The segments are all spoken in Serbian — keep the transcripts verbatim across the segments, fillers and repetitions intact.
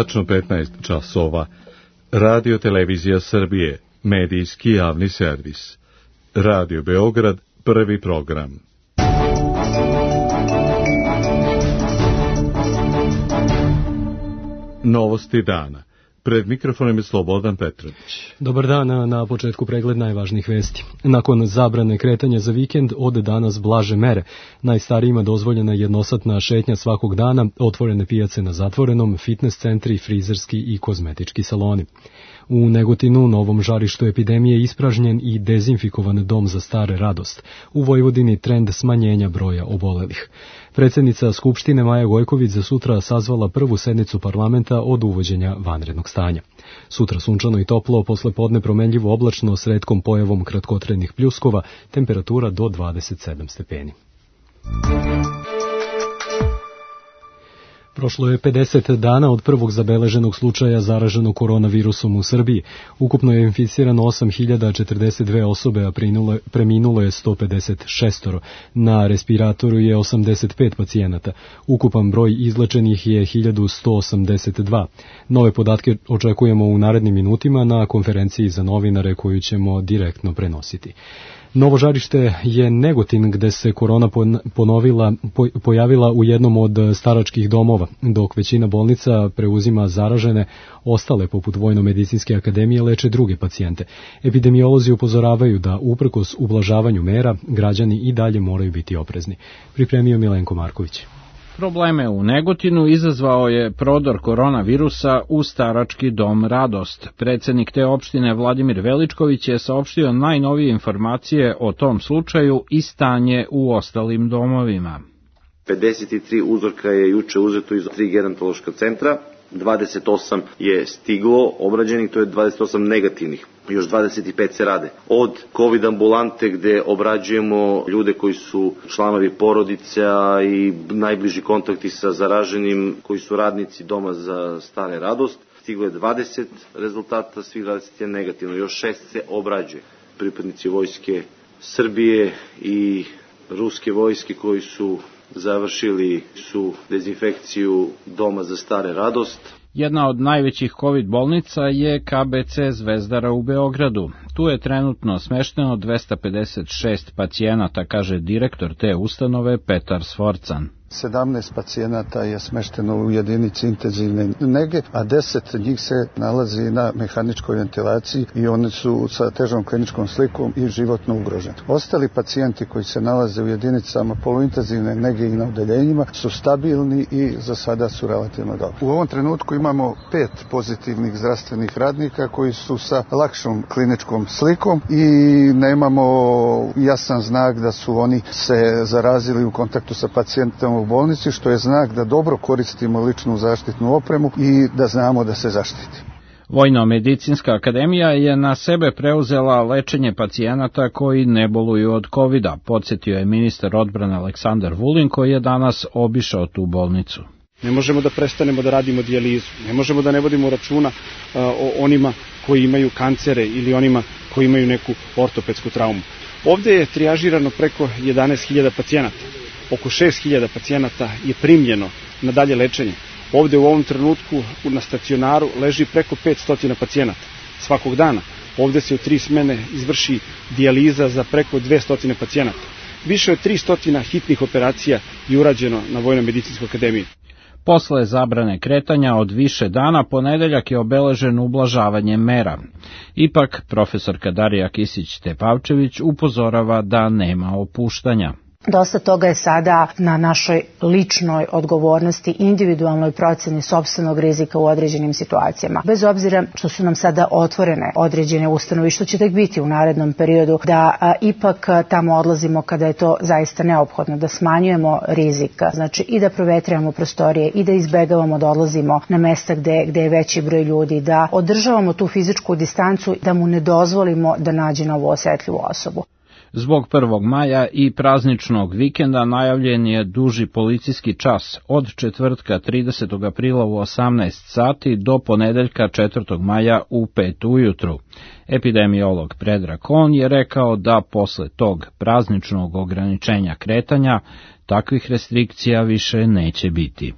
tačno petnaest časova. Radio Televizija Srbije, medijski javni servis. Radio Beograd, prvi program. Novosti dana. Pred mikrofonom je Slobodan Petrović. Dobar dan, na početku pregled najvažnijih vesti. Nakon zabrane kretanja za vikend, od danas blaže mere. Najstarijima dozvoljena jednosatna šetnja svakog dana, otvorene pijace na zatvorenom, fitness centri, frizerski i kozmetički saloni. U Negotinu, novom žarištu epidemije, ispražnjen i dezinfikovan dom za stare Radost. U Vojvodini trend smanjenja broja obolelih. Predsjednica Skupštine Maja Gojković za sutra sazvala prvu sednicu parlamenta od uvođenja vanrednog stanja. Sutra sunčano i toplo, posle podne promenljivo oblačno s retkom pojavom kratkotrednih pljuskova, temperatura do dvadeset sedam stepeni. Prošlo je pedeset dana od prvog zabeleženog slučaja zaraženog koronavirusom u Srbiji. Ukupno je inficirano osam hiljada četrdeset dve osobe, a preminulo je sto pedeset šest. Na respiratoru je osamdeset pet pacijenata. Ukupan broj izlečenih je hiljadu sto osamdeset dva. Nove podatke očekujemo u narednim minutima na konferenciji za novinare koju ćemo direktno prenositi. Novo žarište je Negotin, gde se korona ponovila, pojavila u jednom od staračkih domova, dok većina bolnica preuzima zaražene, ostale poput Vojno-medicinske akademije leče druge pacijente. Epidemiolozi upozoravaju da uprkos ublažavanju mera građani i dalje moraju biti oprezni. Pripremio Milenko Marković. Probleme u Negotinu izazvao je prodor koronavirusa u starački dom Radost. Predsjednik te opštine Vladimir Veličković je saopštio najnovije informacije o tom slučaju i stanje u ostalim domovima. pedeset tri uzorka je juče uzeto iz tri gerontološka centra, dvadeset osam je stiglo obrađenih, to je dvadeset osam negativnih. Još dvadeset pet se rade. Od COVID ambulante gde obrađujemo ljude koji su članovi porodica i najbliži kontakti sa zaraženim, koji su radnici doma za stare Radost, stiglo je dvadeset rezultata, svih dvadeset je negativno, još šest se obrađuje. Pripadnici vojske Srbije i ruske vojske koji su završili su dezinfekciju doma za stare Radost. Jedna od najvećih COVID bolnica je K B C Zvezdara u Beogradu. Tu je trenutno smešteno dvesta pedeset šest pacijenata, kaže direktor te ustanove Petar Sforcan. sedamnaest pacijenata je smešteno u jedinici intenzivne nege, a deset njih se nalazi na mehaničkoj ventilaciji i oni su sa težom kliničkom slikom i životno ugroženi. Ostali pacijenti koji se nalaze u jedinicama poluintenzivne nege i na odeljenjima su stabilni i za sada su relativno dobri. U ovom trenutku imamo pet pozitivnih zdravstvenih radnika koji su sa lakšom kliničkom slikom i nemamo jasan znak da su oni se zarazili u kontaktu sa pacijentom u bolnici, što je znak da dobro koristimo ličnu zaštitnu opremu i da znamo da se zaštitimo. Vojno-medicinska akademija je na sebe preuzela lečenje pacijenata koji ne boluju od kovida, podsjetio je ministar odbrane Aleksandar Vulin, koji je danas obišao tu bolnicu. Ne možemo da prestanemo da radimo dijalizu, ne možemo da ne vodimo računa uh, o onima koji imaju kancere ili onima koji imaju neku ortopedsku traumu. Ovde je trijažirano preko jedanaest hiljada pacijenata. Oko šest hiljada pacijenata je primljeno na dalje lečenje. Ovde u ovom trenutku na stacionaru leži preko petsto pacijenata svakog dana. Ovde se u tri smene izvrši dijaliza za preko dvesta pacijenata. Više od tristo hitnih operacija je urađeno na Vojno-medicinskoj akademiji. Posle zabrane kretanja od više dana, ponedeljak je obeležen ublažavanjem mera. Ipak, profesorka Darija Kisić-Tepavčević upozorava da nema opuštanja. Dosta toga je sada na našoj ličnoj odgovornosti, individualnoj proceni sopstvenog rizika u određenim situacijama. Bez obzira što su nam sada otvorene određene ustanove i što će tek biti u narednom periodu, da a, ipak a, tamo odlazimo kada je to zaista neophodno, da smanjujemo rizik, znači i da provetrijamo prostorije i da izbegavamo da odlazimo na mesta gde, gde je veći broj ljudi, da održavamo tu fizičku distancu, da mu ne dozvolimo da nađe novu osetljivu osobu. Zbog prvog maja i prazničnog vikenda najavljen je duži policijski čas od četvrtka tridesetog aprila u osamnaest sati do ponedeljka četvrtog maja u pet ujutru. Epidemiolog Predrag Kon je rekao da posle tog prazničnog ograničenja kretanja takvih restrikcija više neće biti.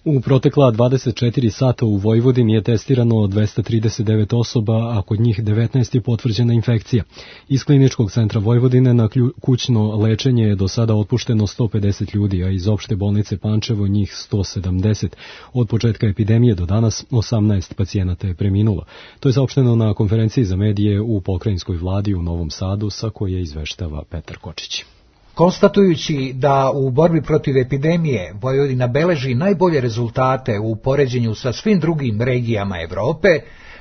U protekla dvadeset četiri sata u Vojvodini je testirano dvesta trideset devet osoba, a kod njih devetnaest je potvrđena infekcija. Iz Kliničkog centra Vojvodine na kućno lečenje je do sada otpušteno sto pedeset ljudi, a iz opšte bolnice Pančevo njih sto sedamdeset. Od početka epidemije do danas osamnaest pacijenata je preminulo. To je saopšteno na konferenciji za medije u pokrajinskoj vladi u Novom Sadu, sa koje izveštava Petar Kočić. Konstatujući da u borbi protiv epidemije Vojvodina beleži najbolje rezultate u poređenju sa svim drugim regijama Evrope,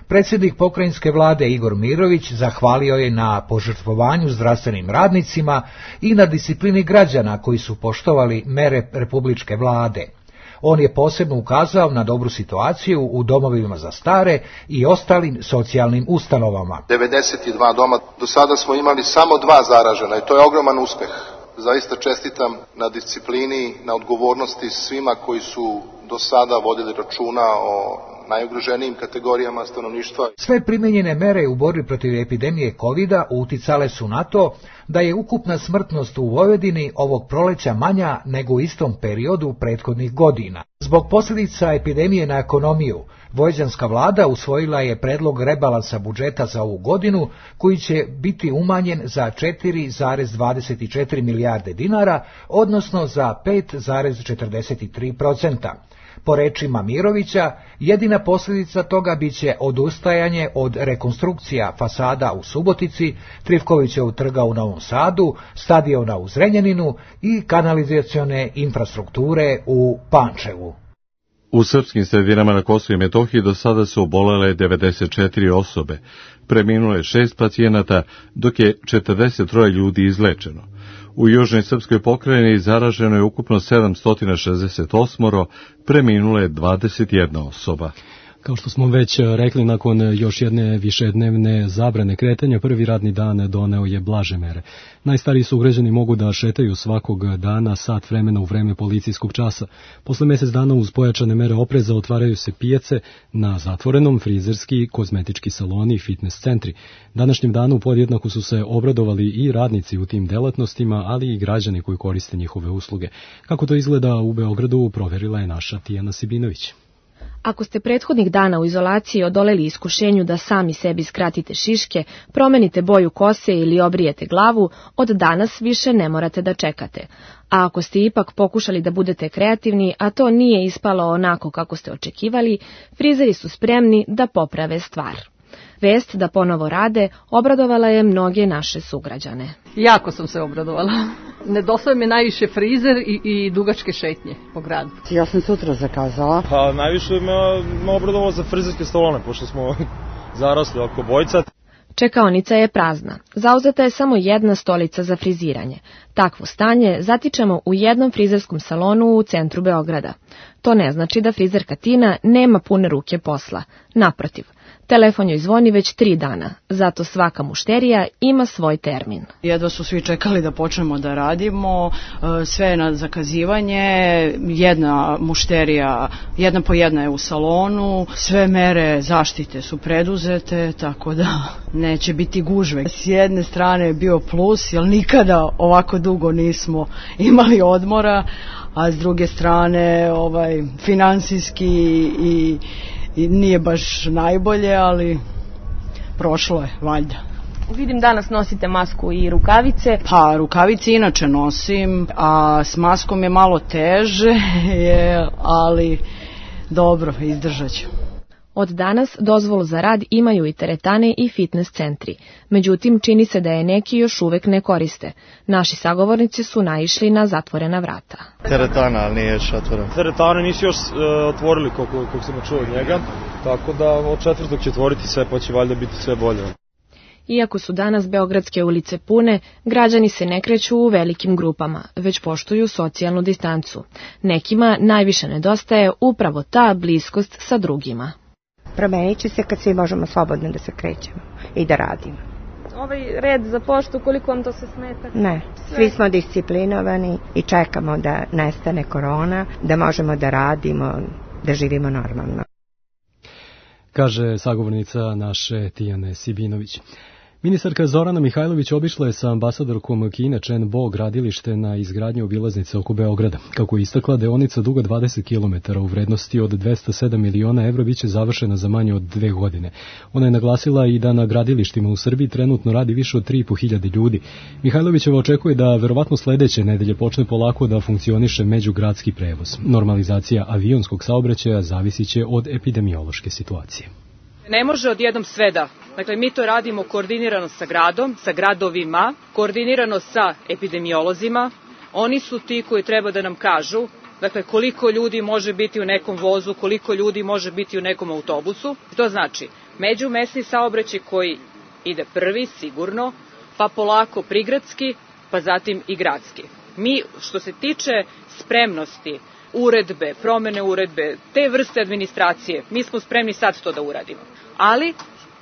predsjednik pokrajinske vlade Igor Mirović zahvalio je na požrtvovanju zdravstvenim radnicima i na disciplini građana koji su poštovali mere republičke vlade. On je posebno ukazao na dobru situaciju u domovima za stare i ostalim socijalnim ustanovama. devedeset dva doma, do sada smo imali samo dva zaražena i to je ogroman uspeh. Zaista čestitam na disciplini, na odgovornosti svima koji su do sada vodili računa o najugroženijim kategorijama stanovništva. Sve primenjene mere u borbi protiv epidemije kovida uticale su na to da je ukupna smrtnost u Vojvodini ovog proleća manja nego u istom periodu prethodnih godina. Zbog posljedica epidemije na ekonomiju, vojvođanska vlada usvojila je predlog rebalansa budžeta za ovu godinu, koji će biti umanjen za četiri zarez dvadeset četiri milijarde dinara, odnosno za pet zarez četrdeset tri posto. Po rečima Mirovića, jedina posljedica toga biće odustajanje od rekonstrukcija fasada u Subotici, Trifkovićevog trga u Novom Sadu, stadiona u Zrenjaninu i kanalizacione infrastrukture u Pančevu. U srpskim sredinama na Kosovu i Metohiji do sada su obolele devedeset četiri osobe, preminulo je šest pacijenata, dok je četrdeset troje ljudi izlečeno. U južnoj srpskoj pokrajini zaraženo je ukupno sedamsto šezdeset osam, preminulo je dvadeset jedna osoba. Kao što smo već rekli, nakon još jedne višednevne zabrane kretanja, prvi radni dan doneo je blaže mere. Najstariji sugrađani mogu da šetaju svakog dana sat vremena u vreme policijskog časa. Posle mjesec dana uz pojačane mere opreza otvaraju se pijace, na zatvorenom frizerski, kozmetički saloni i fitness centri. Današnjem danu podjednako su se obradovali i radnici u tim delatnostima, ali i građani koji koriste njihove usluge. Kako to izgleda u Beogradu, proverila je naša Tijana Sibinović. Ako ste prethodnih dana u izolaciji odoleli iskušenju da sami sebi skratite šiške, promenite boju kose ili obrijete glavu, od danas više ne morate da čekate. A ako ste ipak pokušali da budete kreativni, a to nije ispalo onako kako ste očekivali, frizeri su spremni da poprave stvar. Vest da ponovo rade obradovala je mnoge naše sugrađane. Jako sam se obradovala. Nedostaje mi najviše frizer i, i dugačke šetnje po gradu. Ja sam sutra zakazala. Pa najviše me, me obradovalo za frizerske salone, pošto smo zarasli oko bojca. Čekaonica je prazna. Zauzeta je samo jedna stolica za friziranje. Takvo stanje zatičemo u jednom frizerskom salonu u centru Beograda. To ne znači da frizerka Tina nema pune ruke posla. Naprotiv. Telefon joj zvoni već tri dana, zato svaka mušterija ima svoj termin. Jedva su svi čekali da počnemo da radimo, sve je na zakazivanje, jedna mušterija, jedna po jedna je u salonu, sve mere zaštite su preduzete, tako da neće biti gužve. S jedne strane je bio plus, jer nikada ovako dugo nismo imali odmora, a s druge strane ovaj, finansijski i I nije baš najbolje, ali prošlo je, valjda. Vidim danas nosite masku i rukavice. Pa, rukavice inače nosim, a s maskom je malo teže, je, ali dobro, izdržat ću. Od danas dozvolu za rad imaju i teretane i fitness centri. Međutim, čini se da je neki još uvek ne koriste. Naši sagovornici su naišli na zatvorena vrata. Teretana, ali nije još otvorena. Teretane nisu još e, otvorili koliko, koliko sam čuo od njega, tako da od četvrtog će otvoriti sve, pa će valjda biti sve bolje. Iako su danas beogradske ulice pune, građani se ne kreću u velikim grupama, već poštuju socijalnu distancu. Nekima najviše nedostaje upravo ta bliskost sa drugima. Promenit će se kad svi možemo slobodno da se krećemo i da radimo. Ovaj red za poštu, koliko vam to se smeta? Ne, svi smo disciplinovani i čekamo da nestane korona, da možemo da radimo, da živimo normalno. Kaže sagovornica naše Tijane Sibinović. Ministarka Zorana Mihajlović obišla je sa ambasadorkom Kine Chen Bo gradilište na izgradnji obilaznice oko Beograda. Kako je istakla, deonica duga dvadeset kilometara u vrednosti od dvesta sedam miliona evra biće završena za manje od dve godine. Ona je naglasila i da na gradilištima u Srbiji trenutno radi više od tri i po hiljade ljudi. Mihajlovićeva očekuje da verovatno sledeće nedelje počne polako da funkcioniše međugradski prevoz. Normalizacija avionskog saobraćaja zavisiće od epidemiološke situacije. Ne može odjednom sve da. Dakle, mi to radimo koordinirano sa gradom, sa gradovima, koordinirano sa epidemiolozima. Oni su ti koji treba da nam kažu, dakle, koliko ljudi može biti u nekom vozu, koliko ljudi može biti u nekom autobusu. To znači međumesni saobraćaj koji ide prvi, sigurno, pa polako prigradski, pa zatim i gradski. Mi, što se tiče spremnosti, uredbe, promene uredbe, te vrste administracije, mi smo spremni sad to da uradimo. Ali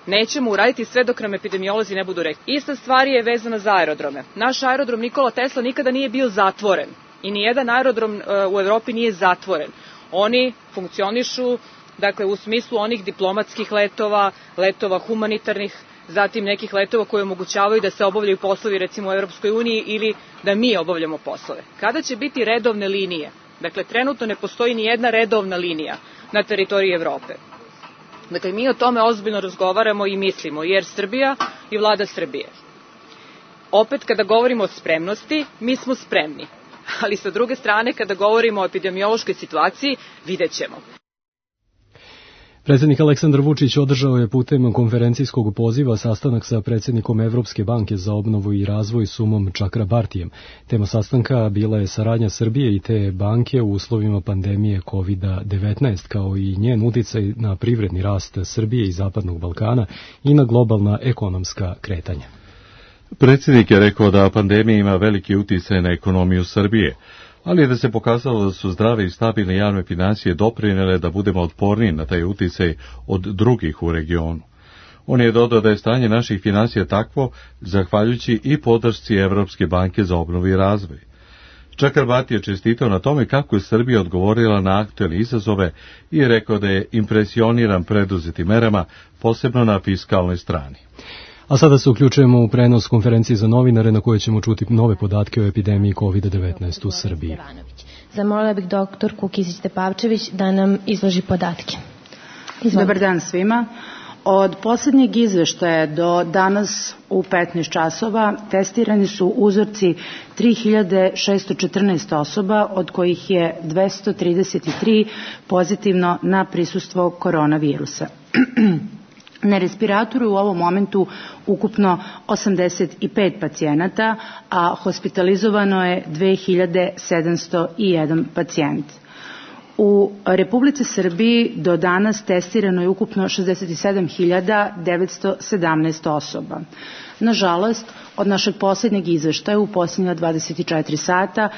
nećemo uraditi sve dok nam epidemiolozi ne budu rekli. Ista stvar je vezana za aerodrome. Naš aerodrom Nikola Tesla nikada nije bio zatvoren i nijedan aerodrom uh, u Evropi nije zatvoren. Oni funkcionišu, dakle, u smislu onih diplomatskih letova, letova humanitarnih, zatim nekih letova koje omogućavaju da se obavljaju poslovi recimo u Evropskoj uniji ili da mi obavljamo poslove. Kada će biti redovne linije? Dakle, trenutno ne postoji ni jedna redovna linija na teritoriji Evrope. Dakle, mi o tome ozbiljno razgovaramo i mislimo, jer Srbija i vlada Srbije. Opet, kada govorimo o spremnosti, mi smo spremni. Ali sa druge strane, kada govorimo o epidemiološkoj situaciji, vidjet ćemo. Predsjednik Aleksandar Vučić održao je putem konferencijskog poziva sastanak sa predsjednikom Evropske banke za obnovu i razvoj Sumom Čakrabartijem. Tema sastanka bila je saradnja Srbije i te banke u uslovima pandemije kovid devetnaest, kao i njen uticaj na privredni rast Srbije i Zapadnog Balkana i na globalna ekonomska kretanja. Predsjednik je rekao da pandemija ima veliki uticaj na ekonomiju Srbije, ali je da se pokazalo da su zdrave i stabilne javne financije doprinele da budemo otporniji na taj uticaj od drugih u regionu. On je dodao da je stanje naših financija takvo, zahvaljujući i podršci Evropske banke za obnovu i razvoj. Čakrbarti je čestitao na tome kako je Srbija odgovorila na aktuelne izazove i rekao da je impresioniran preduzetim merama, posebno na fiskalnoj strani. A sada se uključujemo u prenos konferencije za novinare na kojoj ćemo čuti nove podatke o epidemiji kovid devetnaest u Srbiji. Zamolila bih doktorku Kisić-Tepavčević da nam izloži podatke. Izvolite. Dobar dan svima. Od posljednjeg izveštaja do danas u petnaest časova testirani su uzorci tri hiljade šesto četrnaest osoba, od kojih je dvesta trideset tri pozitivno na prisustvo koronavirusa. Na respiratoru u ovom momentu ukupno osamdeset pet pacijenata, a hospitalizovano je dve hiljade sedamsto jedan pacijent. U Republici Srbiji do danas testirano je ukupno šezdeset sedam hiljada devetsto sedamnaest osoba. Nažalost, od našeg posljednjeg izveštaja u posljednja dvadeset četiri sata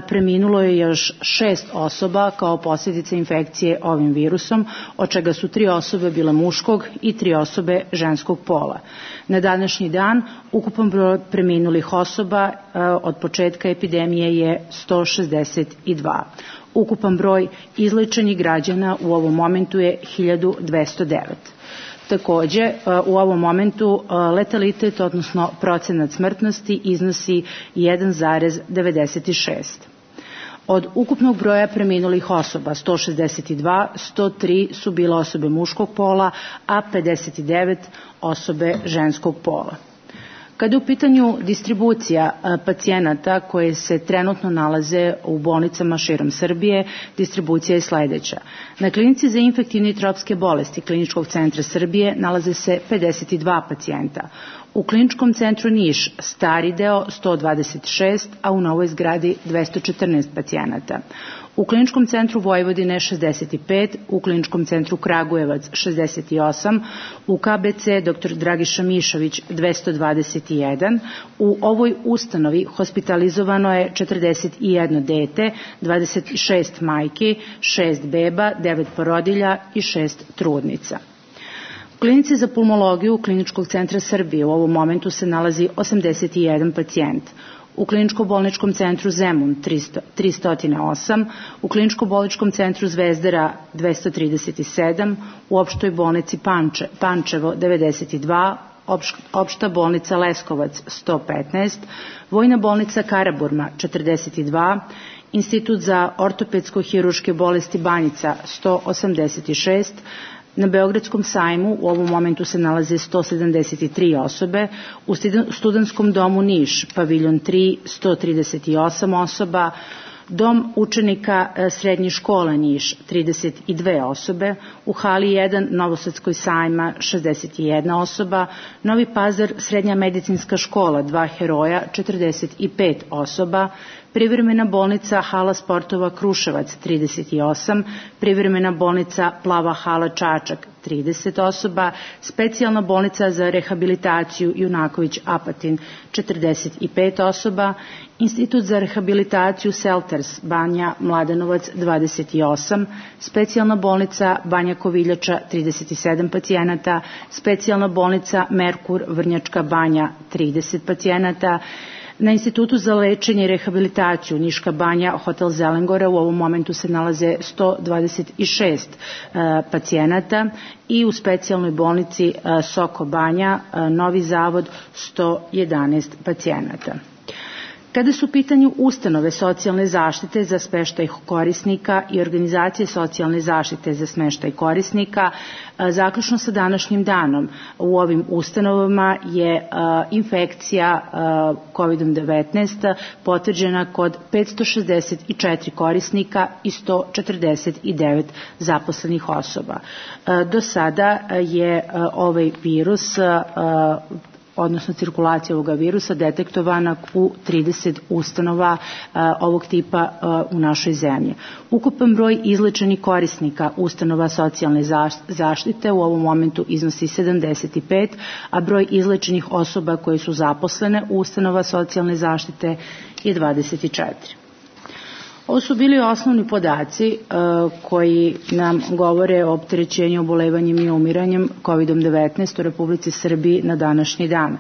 preminulo je još šest osoba kao posljedica infekcije ovim virusom, od čega su tri osobe bile muškog i tri osobe ženskog pola. Na današnji dan ukupan broj preminulih osoba od početka epidemije je sto šezdeset dva. Ukupan broj izlečenih građana u ovom momentu je hiljadu dvesta devet. Takođe, u ovom momentu letalitet, odnosno procenat smrtnosti, iznosi jedan zarez devedeset šest. Od ukupnog broja preminulih osoba, sto šezdeset dva, sto tri su bile osobe muškog pola, a pedeset devet osobe ženskog pola. Kada je u pitanju distribucija pacijenata koje se trenutno nalaze u bolnicama širom Srbije, distribucija je sledeća. Na klinici za infektivne i tropske bolesti Kliničkog centra Srbije nalaze se pedeset dva pacijenta. U Kliničkom centru Niš stari deo sto dvadeset šest, a u novoj zgradi dvesta četrnaest pacijenata. U Kliničkom centru Vojvodine šezdeset pet, u Kliničkom centru Kragujevac šezdeset osam, u K B C dr Dragiša Mišović dvesta dvadeset jedan. U ovoj ustanovi hospitalizovano je četrdeset jedno dete, dvadeset šest majki, šest beba, devet porodilja i šest trudnica. U Klinici za pulmologiju Kliničkog centra Srbije u ovom momentu se nalazi osamdeset jedan pacijent. U Kliničko-bolničkom centru Zemun tristo osam, u Kliničko-bolničkom centru Zvezdara dvesta trideset sedam, u opštoj bolnici Panče, Pančevo devedeset dva, Opšta bolnica Leskovac sto petnaest, Vojna bolnica Karaburma četrdeset dva, Institut za ortopedsko-hiruške bolesti Banjica sto osamdeset šest, na Beogradskom sajmu u ovom momentu se nalaze sto sedamdeset tri osobe, u Studentskom domu Niš, paviljon tri, sto trideset osam osoba, Dom učenika srednje škole Niš, trideset dve osobe, u hali jedan Novosadskoj sajma, šezdeset jedna osoba, Novi Pazar srednja medicinska škola, dva heroja, četrdeset pet osoba, privremena bolnica Hala sportova Kruševac, trideset osam, privremena bolnica Plava hala Čačak, trideset osoba, specijalna bolnica za rehabilitaciju Junaković Apatin, četrdeset pet osoba, Institut za rehabilitaciju Selters Banja Mladenovac, dvadeset osam, specijalna bolnica Banja Koviljača, trideset sedam pacijenata, specijalna bolnica Merkur Vrnjačka Banja, trideset pacijenata, na Institutu za lečenje i rehabilitaciju Niška Banja, Hotel Zelengora, u ovom momentu se nalaze sto dvadeset šest uh, pacijenata i u specijalnoj bolnici uh, Soko Banja, uh, Novi Zavod, sto jedanaest pacijenata. Kada su u pitanju ustanove socijalne zaštite za smeštaj korisnika i organizacije socijalne zaštite za smeštaj korisnika, zaključno sa današnjim danom u ovim ustanovama je infekcija kovid devetnaest potvrđena kod petsto šezdeset četiri korisnika i sto četrdeset devet zaposlenih osoba. Do sada je ovaj virus odnosno cirkulacija ovoga virusa detektovana u trideset ustanova a, ovog tipa a, u našoj zemlji. Ukupan broj izlečenih korisnika ustanova socijalne zaštite u ovom momentu iznosi sedamdeset pet, a broj izlečenih osoba koje su zaposlene u ustanova socijalne zaštite je dvadeset četiri. Ovo su bili osnovni podaci uh, koji nam govore o opterećenju, obolevanjem i umiranjem kovid devetnaest u Republici Srbiji na današnji dan. Uh,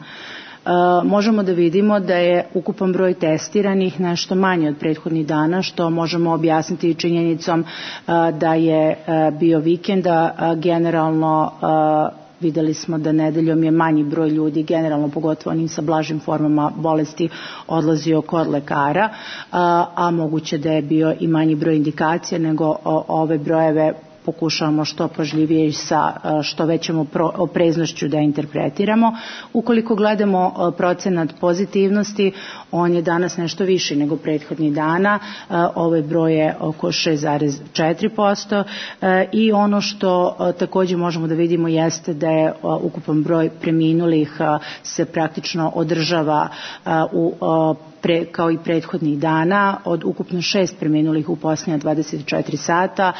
možemo da vidimo da je ukupan broj testiranih nešto manje od prethodnih dana, što možemo objasniti činjenicom uh, da je uh, bio vikenda, uh, generalno uh, videli smo da nedeljom je manji broj ljudi, generalno pogotovo onim sa blažim formama bolesti, odlazio kod lekara, a, a moguće da je bio i manji broj indikacija, nego o, ove brojeve pokušavamo što pažljivije i sa što većom opreznošću da interpretiramo. Ukoliko gledamo procenat pozitivnosti, on je danas nešto viši nego prethodnih dana, ovaj broj je oko šest zarez četiri posto i ono što takođe možemo da vidimo jeste da je ukupan broj preminulih se praktično održava u Pre, kao i prethodnih dana. Od ukupno šest preminulih u posljednja dvadeset četiri sata,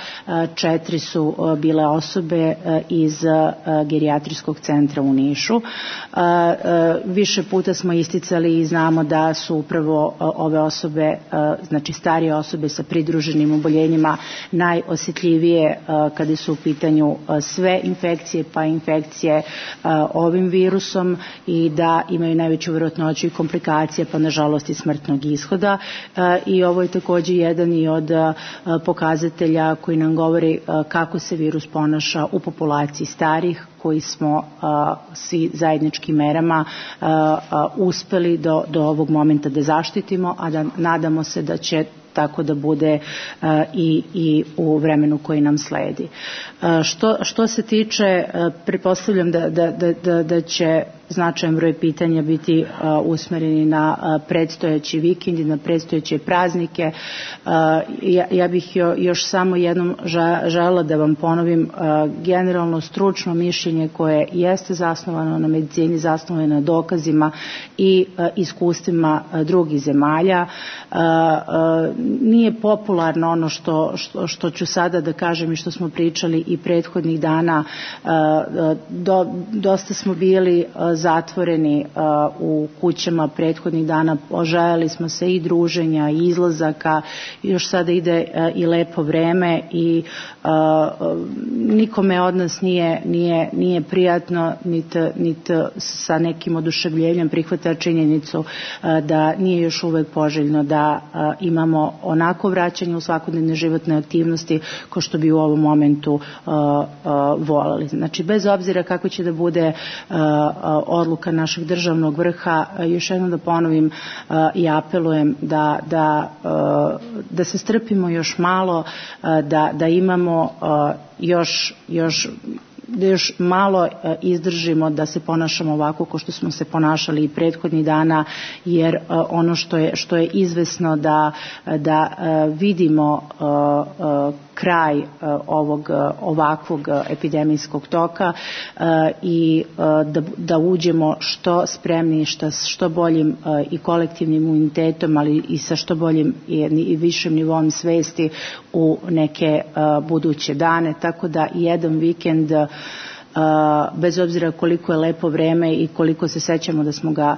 četiri su bile osobe iz gerijatrijskog centra u Nišu. Više puta smo isticali i znamo da su upravo ove osobe, znači starije osobe sa pridruženim oboljenjima, najosjetljivije kada su u pitanju sve infekcije, pa infekcije ovim virusom, i da imaju najveću vjerojatnoću i komplikacije, pa nažalost i smrtnog ishoda, i ovo je takođe jedan i od pokazatelja koji nam govori kako se virus ponaša u populaciji starih, koji smo svi zajedničkim merama uspeli do, do ovog momenta da zaštitimo, a da nadamo se da će tako da bude uh, i, i u vremenu koji nam sledi. Uh, što, što se tiče, uh, pretpostavljam da, da, da, da će značajan broj pitanja biti uh, usmereni na uh, predstojeći vikend i na predstojeće praznike. Uh, ja, ja bih jo, još samo jednom ža, želela da vam ponovim uh, generalno stručno mišljenje koje jeste zasnovano na medicini, zasnovano na dokazima i uh, iskustvima uh, drugih zemalja. Uh, uh, Nije popularno ono što, što, što ću sada da kažem i što smo pričali i prethodnih dana. Do, dosta smo bili zatvoreni u kućama prethodnih dana, oželjeli smo se i druženja i izlazaka, još sada ide i lepo vreme i nikome od nas nije, nije nije prijatno, niti nit sa nekim oduševljenjem prihvata činjenicu da nije još uvek poželjno da imamo onako vraćanje u svakodnevne životne aktivnosti kao što bi u ovom momentu voleli. Znači, bez obzira kako će da bude odluka našeg državnog vrha, još jednom da ponovim i apelujem da, da, da se strpimo još malo, da, da imamo još, još da još malo izdržimo da se ponašamo ovako kao što smo se ponašali i prethodnih dana, jer ono što je, što je izvesno da, da vidimo kraj ovog ovakvog epidemijskog toka i da, da uđemo što spremni, što, što boljim i kolektivnim imunitetom, ali i sa što boljim i višim nivom svesti u neke buduće dane, tako da jedan vikend, bez obzira koliko je lepo vreme i koliko se sećamo da smo ga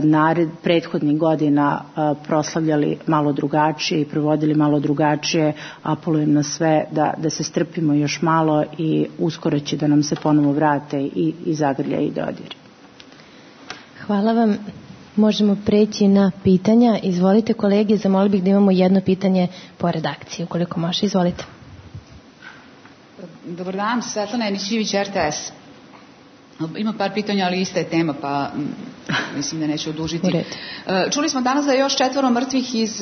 nared prethodnih godina proslavljali malo drugačije i provodili malo drugačije, apelujem na sve da, da se strpimo još malo i uskoro će da nam se ponovo vrate i, i zagrlja i dodiri. Hvala vam. Možemo preći na pitanja. Izvolite kolege, zamolio bih da imamo jedno pitanje po redakciji, ukoliko može. Izvolite. Dobar dan, Svetlana Enićijević, R T S. Ima par pitanja, ali ista je tema, pa mislim da neću odužiti. Čuli smo danas da je još četvoro mrtvih iz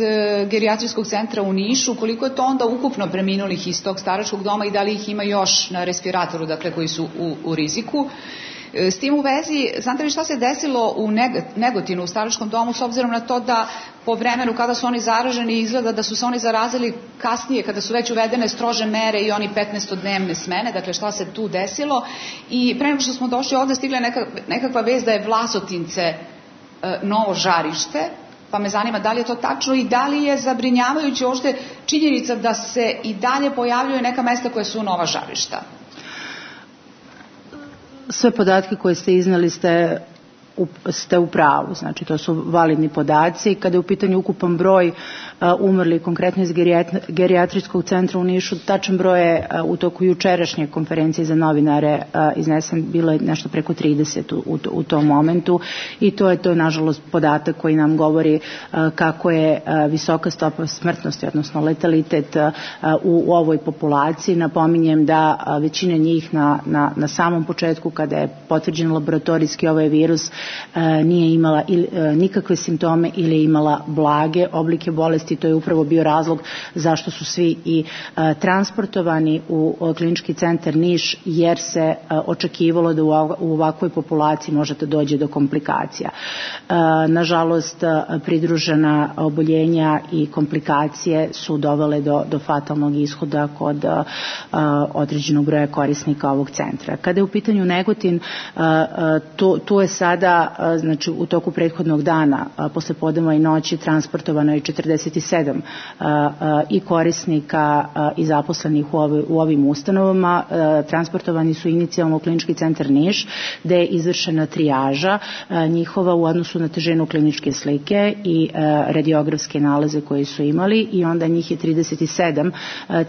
gerijatrijskog centra u Nišu. Koliko je to onda ukupno preminulih iz tog staračkog doma i da li ih ima još na respiratoru, dakle, koji su u, u riziku? S tim u vezi, znate li šta se desilo u Negotinu, u staračkom domu, s obzirom na to da po vremenu kada su oni zaraženi izgleda da su se oni zarazili kasnije kada su već uvedene strože mere i oni petnaestodnevne smene, dakle šta se tu desilo? I pre nego što smo došli ovde stigla neka, nekakva vest da je Vlasotince e, novo žarište, pa me zanima da li je to tačno i da li je zabrinjavajuće uopšte činjenica da se i dalje pojavljuju neka mesta koja su nova žarišta. Sve podatke koje ste iznali ste u, ste u pravu, znači to su validni podaci. Kada je u pitanju ukupan broj uh, umrli konkretno iz gerijatrijskog centra u Nišu, tačan broj je uh, u toku jučerašnje konferencije za novinare uh, iznesen, bilo je nešto preko trideset u, u, u tom momentu i to je to nažalost podatak koji nam govori uh, kako je uh, visoka stopa smrtnosti, odnosno letalitet uh, u, u ovoj populaciji. Napominjem da uh, većina njih na, na, na samom početku kada je potvrđen laboratorijski ovaj virus nije imala nikakve simptome ili je imala blage oblike bolesti. To je upravo bio razlog zašto su svi i transportovani u klinički centar Niš, jer se očekivalo da u ovakvoj populaciji može da dođe do komplikacija. Nažalost, pridružena oboljenja i komplikacije su dovele do, do fatalnog ishoda kod određenog broja korisnika ovog centra. Kada je u pitanju Negotin, tu, tu je sada znači u toku prethodnog dana posle podneva i noći transportovano je četrdeset sedam i korisnika i zaposlenih u, ovim, u ovim ustanovama. Transportovani su inicijalno u klinički centar Niš, gde je izvršena trijaža njihova u odnosu na težinu kliničke slike i radiografske nalaze koje su imali, i onda njih je trideset sedam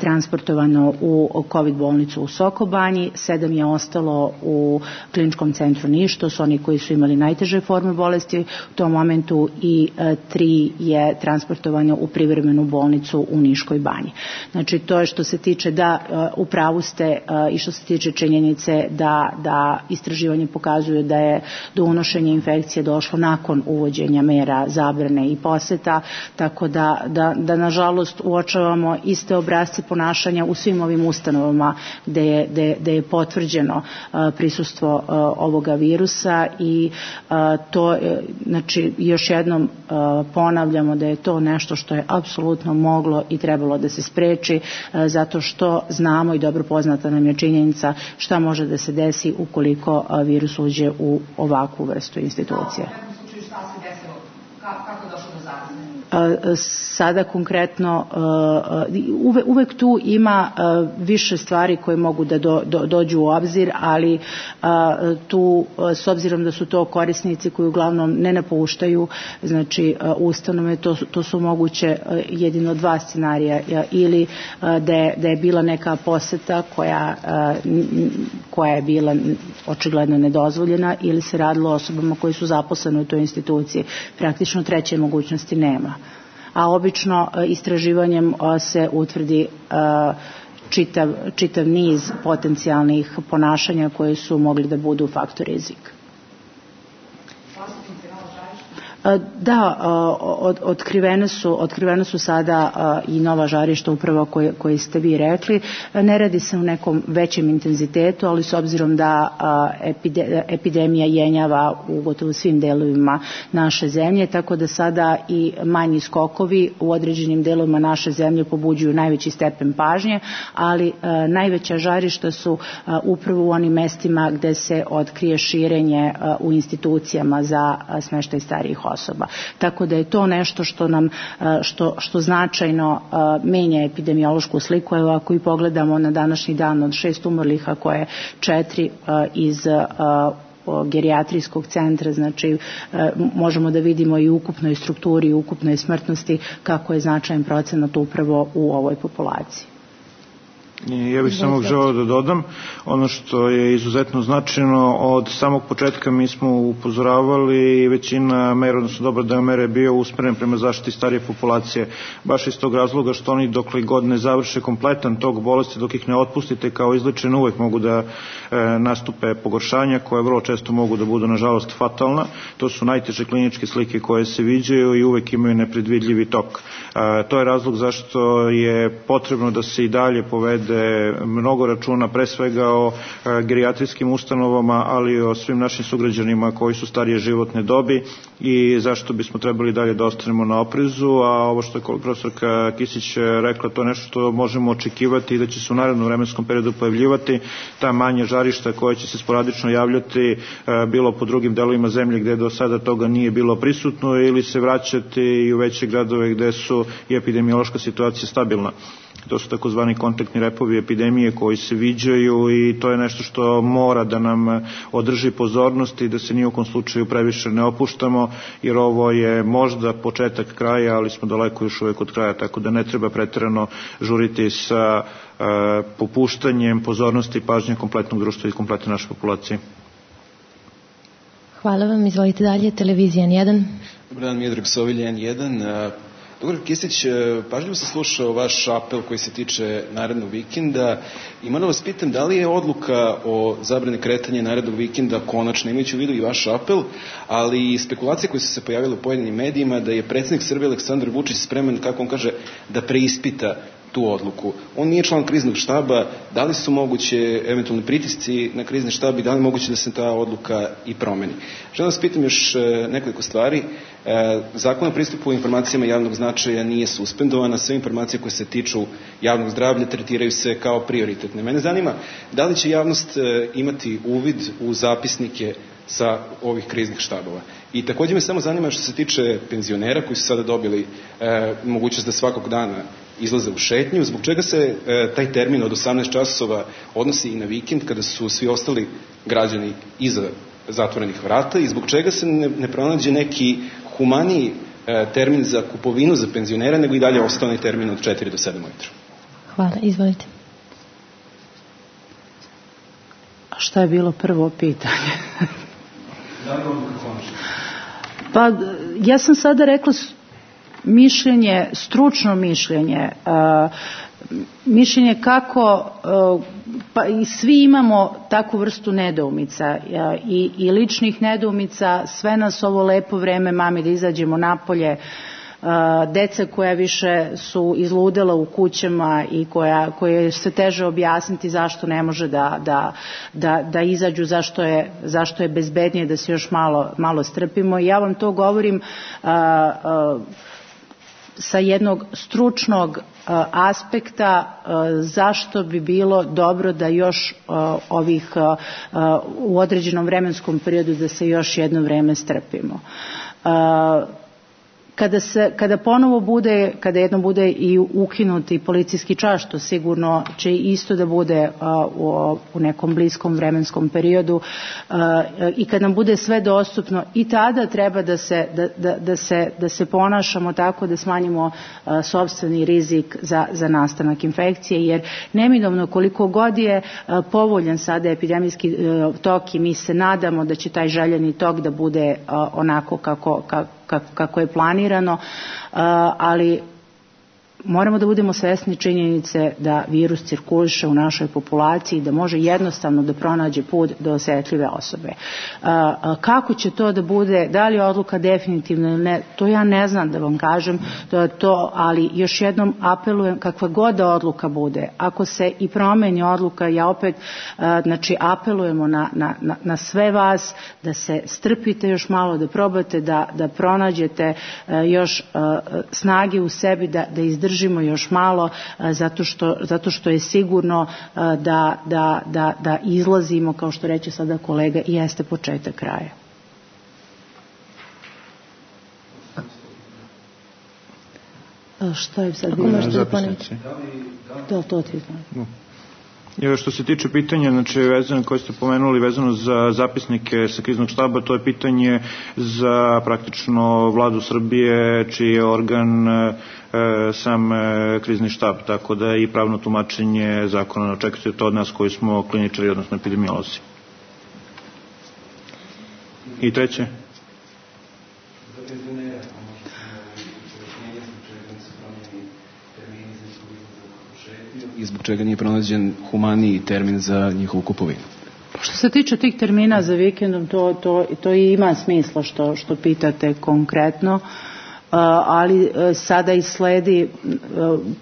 transportovano u COVID bolnicu u Sokobanji, sedam je ostalo u kliničkom centru Niš, to su oni koji su imali najteže forme bolesti u tom momentu, i e, tri je transportovano u privremenu bolnicu u Niškoj banji. Znači, to je što se tiče da e, u pravu ste e, i što se tiče činjenice da, da istraživanje pokazuje da je do unošenja infekcije došlo nakon uvođenja mera zabrane i poseta, tako da, da, da nažalost uočavamo iste obrasce ponašanja u svim ovim ustanovama gde je, gde, gde je potvrđeno e, prisustvo e, ovoga virusa. I a, to, znači, još jednom a, ponavljamo da je to nešto što je apsolutno moglo i trebalo da se spreči, a, zato što znamo i dobro poznata nam je činjenica šta može da se desi ukoliko a, virus uđe u ovakvu vrstu institucije. Kako je došlo do zaraze? Sada konkretno uvek, uvek tu ima više stvari koje mogu da do, do, dođu u obzir, ali tu s obzirom da su to korisnici koji uglavnom ne napuštaju, znači ustanove, to, to su moguće jedino dva scenarija, ili da je, da je bila neka poseta koja, koja je bila očigledno nedozvoljena, ili se radilo o osobama koji su zaposlene u toj instituciji. Praktično treće mogućnosti nema. A obično istraživanjem se utvrdi čitav, čitav niz potencijalnih ponašanja koje su mogli da budu faktor rizika. Da, od, otkrivene su, otkrivene su sada i nova žarišta upravo koje, koje ste vi rekli. Ne radi se u nekom većem intenzitetu, ali s obzirom da epidemija jenjava u gotovo svim delovima naše zemlje, tako da sada i manji skokovi u određenim delovima naše zemlje pobuđuju najveći stepen pažnje, ali najveća žarišta su upravo u onim mestima gde se otkrije širenje u institucijama za smeštaj starijih osoba. osoba. Tako da je to nešto što nam što, što značajno menja epidemiološku sliku. Evo ako i pogledamo na današnji dan od šest umrlih, a koje četiri iz gerijatrijskog centra, znači možemo da vidimo i u ukupnoj strukturi i ukupnoj smrtnosti kako je značajan procenat upravo u ovoj populaciji. Ja bih samo želeo da dodam ono što je izuzetno značajno. Od samog početka mi smo upozoravali i većina mera, odnosno dobar deo mere je bio usmeren prema zaštiti starije populacije, baš iz tog razloga što oni dokle god ne završe kompletan tog bolesti, dok ih ne otpustite kao izlečene, uvek mogu da e, nastupe pogoršanja koje vrlo često mogu da budu nažalost fatalna. To su najteže kliničke slike koje se viđaju i uvek imaju nepredvidljivi tok. E, to je razlog zašto je potrebno da se i dalje povede mnogo računa pre svega o gerijatrijskim ustanovama, ali i o svim našim sugrađanima koji su starije životne dobi i zašto bismo trebali dalje da ostanemo na oprezu. A ovo što je profesorka Kisić rekla, to je nešto što možemo očekivati i da će se u narednom vremenskom periodu pojavljivati ta manja žarišta koja će se sporadično javljati bilo po drugim delovima zemlje gde do sada toga nije bilo prisutno, ili se vraćati i u veće gradove gde su i epidemiološka situacija stabilna. To su takozvani kontaktni repovi epidemije koji se viđaju i to je nešto što mora da nam održi pozornost i da se ni u kom slučaju previše ne opuštamo, jer ovo je možda početak kraja, ali smo daleko još uvek od kraja, tako da ne treba preterano žuriti sa uh, popuštanjem pozornosti i pažnje kompletnog društva i kompletne naše populacije. Hvala vam, izvolite dalje, televizija N jedan. Dobar dan, Miodrag Sovilj, N jedan. Doktor Kisić, pažljivo sam slušao vaš apel koji se tiče narednog vikenda i moram vas pitam da li je odluka o zabrani kretanja narednog vikenda konačno, imajući u vidu i vaš apel, ali i spekulacije koje su se pojavile u pojedinim medijima da je predsjednik Srbije Aleksandar Vučić spreman, kako on kaže, da preispita tu odluku. On nije član kriznog štaba, da li su moguće eventualni pritisci na krizni štab i da li je moguće da se ta odluka i promeni. Želim vas pitam još nekoliko stvari. Zakon o pristupu informacijama javnog značaja nije suspendovan, a sve informacije koje se tiču javnog zdravlja tretiraju se kao prioritetne. Mene zanima da li će javnost imati uvid u zapisnike sa ovih kriznih štabova. I također me samo zanima što se tiče penzionera koji su sada dobili e, mogućnost da svakog dana izlaze u šetnju, zbog čega se e, taj termin od osamnaest časova odnosi i na vikend kada su svi ostali građani iza zatvorenih vrata i zbog čega se ne, ne pronađe neki humaniji e, termin za kupovinu za penzionera, nego i dalje ostane termin od četiri do sedam ujutru. Hvala, izvolite. A šta je bilo prvo pitanje? Pa ja sam sada rekla mišljenje, stručno mišljenje, uh, mišljenje kako uh, pa i svi imamo takvu vrstu nedoumica uh, i, i ličnih nedoumica. Sve nas ovo lepo vreme mami da izađemo napolje, Uh, deca koja više su izludela u kućama i koja, koje se teže objasniti zašto ne može da, da, da, da izađu, zašto je, zašto je bezbednije da se još malo, malo strpimo. I ja vam to govorim uh, uh, sa jednog stručnog uh, aspekta uh, zašto bi bilo dobro da još uh, ovih uh, uh, u određenom vremenskom periodu da se još jedno vreme strpimo. Uh, Kada, se, kada ponovo bude, kada jedno bude i ukinuti policijski čas, što sigurno će isto da bude a, u, u nekom bliskom vremenskom periodu a, i kad nam bude sve dostupno, i tada treba da se, da, da, da se, da se ponašamo tako da smanjimo a, sopstveni rizik za, za nastanak infekcije, jer neminovno koliko god je a, povoljan sada epidemijski a, tok i mi se nadamo da će taj željeni tok da bude a, onako kako, kako kako je planirano, ali moramo da budemo svesni činjenice da virus cirkuliše u našoj populaciji, da može jednostavno da pronađe put do osetljive osobe. Kako će to da bude, da li je odluka definitivna ili ne, to ja ne znam da vam kažem, to, to, ali još jednom apelujem, kakva god da odluka bude, ako se i promeni odluka, ja opet znači, apelujemo na, na, na sve vas da se strpite još malo, da probate da, da pronađete još snage u sebi, da, da izdržite držimo još malo zato što, zato što je sigurno da, da, da, da izlazimo, kao što reče sada kolega, i jeste početak kraja. Šta je sad bilo? Zapisnici. Da, to ti znam. I što se tiče pitanja, znači, vezano, koje ste pomenuli, vezano za zapisnike sa kriznog štaba, to je pitanje za praktično vladu Srbije, čiji je organ e, sam e, krizni štab, tako da i pravno tumačenje zakona očekujete to od nas koji smo kliničari, odnosno epidemiolozi. I treće? I zbog čega nije pronađen humaniji termin za njihovu kupovinu? Što se tiče tih termina za vikendom, to, to, to i ima smisla što, što pitate konkretno, ali sada i sledi,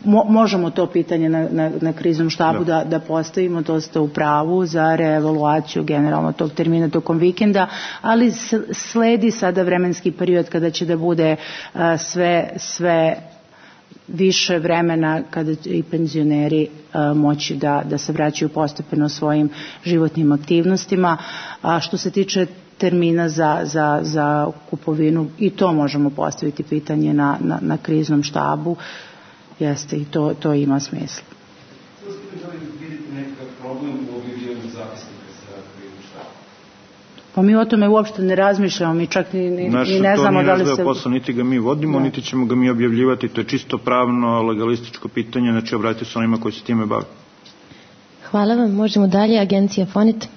mo, možemo to pitanje na, na, na kriznom štabu da, da postavimo, to ste u pravu za reevaluaciju generalno tog termina tokom vikenda, ali sledi sada vremenski period kada će da bude sve, sve više vremena kada i penzioneri a, moći da, da se vraćaju postepeno svojim životnim aktivnostima. A što se tiče termina za, za, za kupovinu, i to možemo postaviti pitanje na, na, na kriznom štabu. Jeste, i to, to ima smisla. Pa mi o tome uopšte ne razmišljamo, mi čak ni, ni, Naš, ni ne znamo da li se... Naš to nije posao, niti ga mi vodimo, da. Niti ćemo ga mi objavljivati, to je čisto pravno, legalističko pitanje, znači obratite se onima koji se time bave. Hvala vam, možemo dalje, agencija Fonit.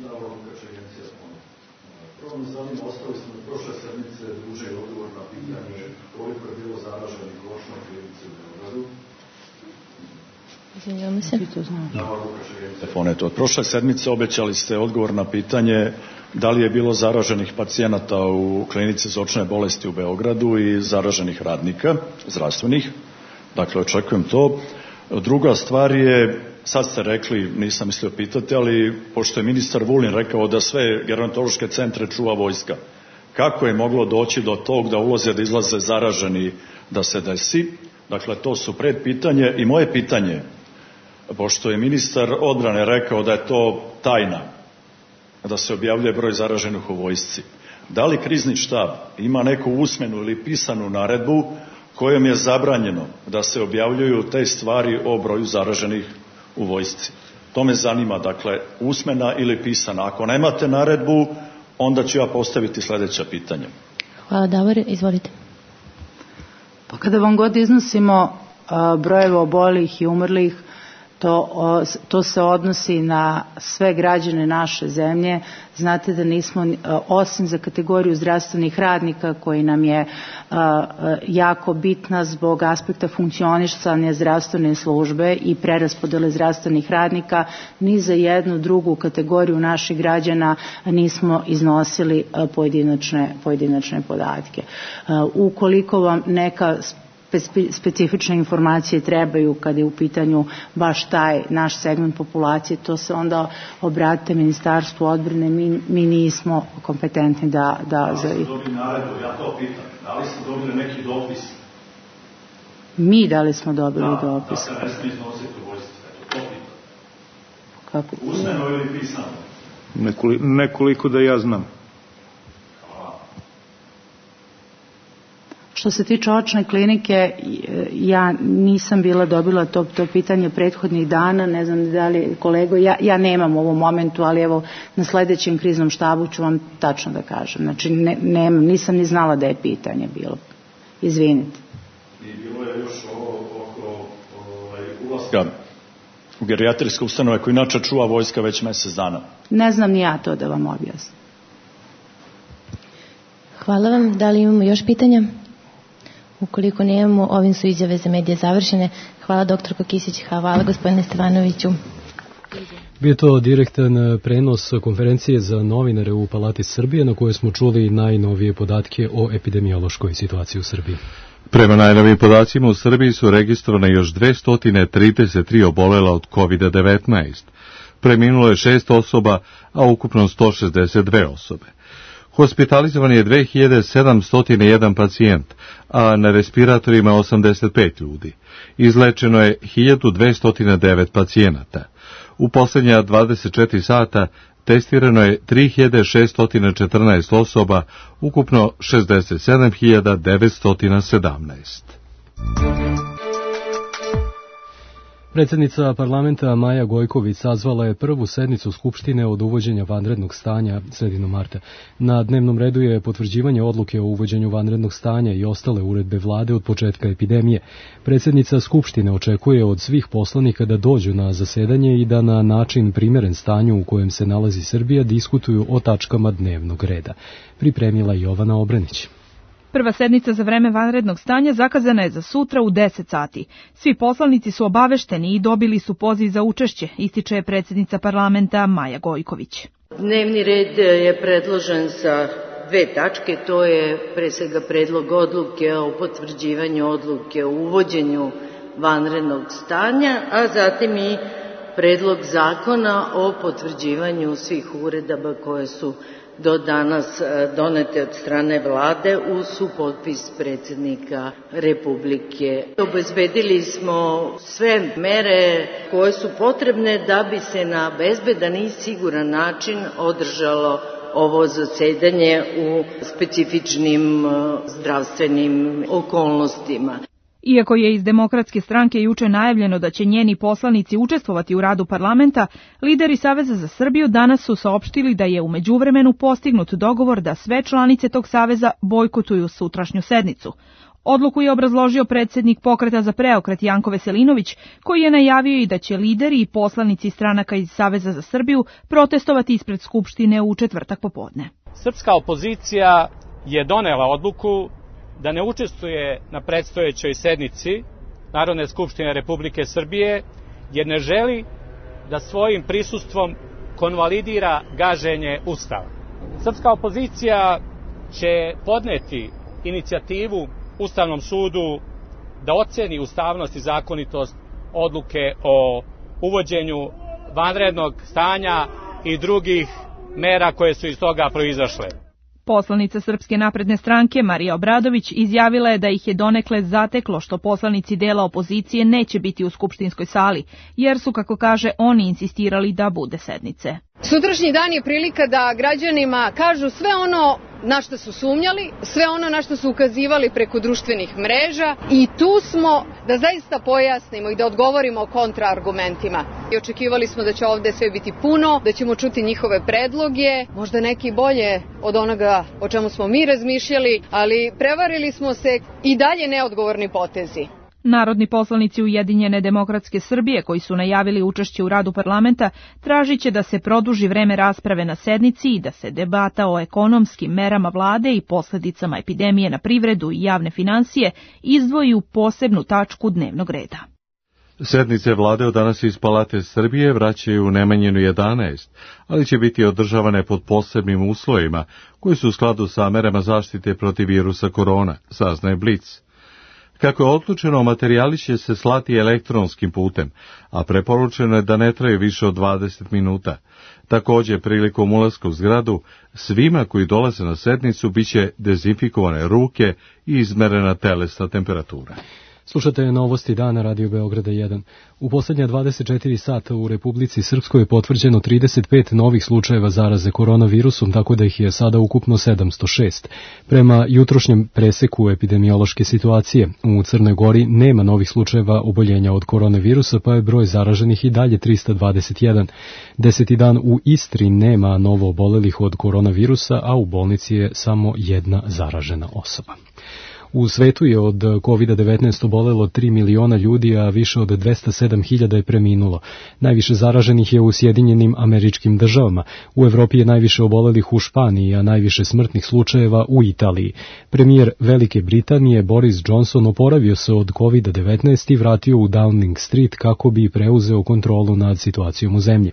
Izvinjamo se. Od prošle sedmice obećali ste odgovor na pitanje da li je bilo zaraženih pacijenata u klinici za očne bolesti u Beogradu i zaraženih radnika zdravstvenih. Dakle, očekujem to. Druga stvar je, sad ste rekli, nisam mislio pitati, ali pošto je ministar Vulin rekao da sve gerontološke centre čuva vojska, kako je moglo doći do tog da ulaze, da izlaze zaraženi, da se desi? Dakle, to su predpitanje. I moje pitanje, pošto je ministar odbrane rekao da je to tajna, da se objavljuje broj zaraženih u vojsci, da li krizni štab ima neku usmenu ili pisanu naredbu kojom je zabranjeno da se objavljuju te stvari o broju zaraženih u vojsci? To me zanima, dakle, usmena ili pisana. Ako nemate naredbu, onda ću ja postaviti sljedeća pitanja. Hvala, Davor, izvolite. Pa kada vam god iznosimo a, brojeve obolih i umrlih, to, o, to se odnosi na sve građane naše zemlje. Znate da nismo, osim za kategoriju zdravstvenih radnika koji nam je a, jako bitna zbog aspekta funkcionisanja zdravstvene službe i preraspodele zdravstvenih radnika, ni za jednu drugu kategoriju naših građana nismo iznosili pojedinačne, pojedinačne podatke. A, ukoliko vam neka specifične informacije trebaju kada je u pitanju baš taj naš segment populacije, to se onda obratite Ministarstvu odbrane, mi, mi nismo kompetentni da... Da, da li ste dobili naredbu, ja to pitam, da li ste dobili neki dopis? Mi da li smo dobili da, dopis? Da, da se ne smije iznositi u vojsci, eto, to pitam. Kako? Usmeno ili pisano? Nekoli, nekoliko da ja znam. Što se tiče očne klinike, ja nisam bila dobila to, to pitanje prethodnih dana, ne znam da li kolego, ja, ja nemam u ovom momentu, ali evo na sledećem kriznom štabu ću vam tačno da kažem. Znači ne, nemam, nisam ni znala da je pitanje bilo. Izvinite. I bilo je još ovo oko ovaj, ulaska u gerijatrijske ustanove koji inače čuva vojska već mesec dana. Ne znam ni ja to da vam objasnim. Hvala vam. Da li imamo još pitanja? Ukoliko nemamo, ovim su izjave za medije završene. Hvala doktorko Kisić, hvala gospodine Stevanoviću. Bio to direktan prenos konferencije za novinare u Palati Srbije na kojoj smo čuli najnovije podatke o epidemiološkoj situaciji u Srbiji. Prema najnovijim podacima u Srbiji su registrovane još dvesta trideset tri obolela od kovid devetnaest. Preminulo je šest osoba, a ukupno sto šezdeset dve osobe. Hospitalizovan je dve hiljade sedamsto jedan pacijent, a na respiratorima osamdeset pet ljudi. Izlečeno je hiljadu dvesta devet pacijenata. U posljednja dvadeset četiri sata testirano je tri hiljade šeststo četrnaest osoba, ukupno šezdeset sedam hiljada devetsto sedamnaest. Predsjednica parlamenta Maja Gojković sazvala je prvu sednicu Skupštine od uvođenja vanrednog stanja sredinom marta. Na dnevnom redu je potvrđivanje odluke o uvođenju vanrednog stanja i ostale uredbe vlade od početka epidemije. Predsjednica Skupštine očekuje od svih poslanika da dođu na zasedanje i da na način primjeren stanju u kojem se nalazi Srbija diskutuju o tačkama dnevnog reda. Pripremila Jovana Obrenić. Prva sednica za vreme vanrednog stanja zakazana je za sutra u deset sati. Svi poslanici su obavešteni i dobili su poziv za učešće, ističe predsjednica parlamenta Maja Gojković. Dnevni red je predložen sa dve tačke, to je pre svega predlog odluke o potvrđivanju odluke o uvođenju vanrednog stanja, a zatim i predlog zakona o potvrđivanju svih uredaba koje su do danas donete od strane vlade uz supotpis predsjednika Republike. Obezbedili smo sve mere koje su potrebne da bi se na bezbedan i siguran način održalo ovo zasedanje u specifičnim zdravstvenim okolnostima. Iako je iz Demokratske stranke juče najavljeno da će njeni poslanici učestvovati u radu parlamenta, lideri Saveza za Srbiju danas su saopštili da je u međuvremenu postignut dogovor da sve članice tog saveza bojkotuju sutrašnju sednicu. Odluku je obrazložio predsjednik Pokreta za preokret Janko Veselinović, koji je najavio i da će lideri i poslanici stranaka iz Saveza za Srbiju protestovati ispred Skupštine u četvrtak popodne. Srpska opozicija je donela odluku da ne učestvuje na predstojećoj sednici Narodne skupštine Republike Srbije, jer ne želi da svojim prisustvom konvalidira gaženje Ustava. Srpska opozicija će podneti inicijativu Ustavnom sudu da oceni ustavnost i zakonitost odluke o uvođenju vanrednog stanja i drugih mera koje su iz toga proizašle. Poslanica Srpske napredne stranke Marija Obradović izjavila je da ih je donekle zateklo što poslanici dela opozicije neće biti u skupštinskoj sali, jer su, kako kaže, oni insistirali da bude sednice. Sutrašnji dan je prilika da građanima kažu sve ono na što su sumnjali, sve ono na što su ukazivali preko društvenih mreža i tu smo da zaista pojasnimo i da odgovorimo kontraargumentima. I očekivali smo da će ovde sve biti puno, da ćemo čuti njihove predloge, možda neki bolje od onoga o čemu smo mi razmišljali, ali prevarili smo se i dalje neodgovorni potezi. Narodni poslanici Ujedinjene demokratske Srbije koji su najavili učešće u radu parlamenta tražit će da se produži vreme rasprave na sednici i da se debata o ekonomskim merama vlade i posljedicama epidemije na privredu i javne finansije izdvoji u posebnu tačku dnevnog reda. Sednice vlade od danas iz Palate Srbije vraćaju u Nemanjinu jedanaest, ali će biti održavane pod posebnim uslovima koji su u skladu sa merama zaštite protiv virusa korona, saznaje Blic. Kako je odlučeno, materijali će se slati elektronskim putem, a preporučeno je da ne traju više od dvadeset minuta. Također, prilikom ulaska u zgradu, svima koji dolaze na sednicu biće dezinfikovane ruke i izmerena telesna temperatura. Slušate novosti dana Radio Beograda jedan. U posljednja dvadeset četiri sata u Republici Srpskoj je potvrđeno trideset pet novih slučajeva zaraze koronavirusom, tako da ih je sada ukupno sedamsto šest. Prema jutrošnjem preseku epidemiološke situacije, u Crnoj Gori nema novih slučajeva oboljenja od koronavirusa, pa je broj zaraženih i dalje trista dvadeset jedan. Deseti dan u Istri nema novo obolelih od koronavirusa, a u bolnici je samo jedna zaražena osoba. U svetu je od kovid devetnaest obolelo tri miliona ljudi, a više od dvesta sedam hiljada je preminulo. Najviše zaraženih je u Sjedinjenim Američkim Državama. U Evropi je najviše obolelih u Španiji, a najviše smrtnih slučajeva u Italiji. Premijer Velike Britanije Boris Johnson oporavio se od kovid devetnaest i vratio u Downing Street kako bi preuzeo kontrolu nad situacijom u zemlji.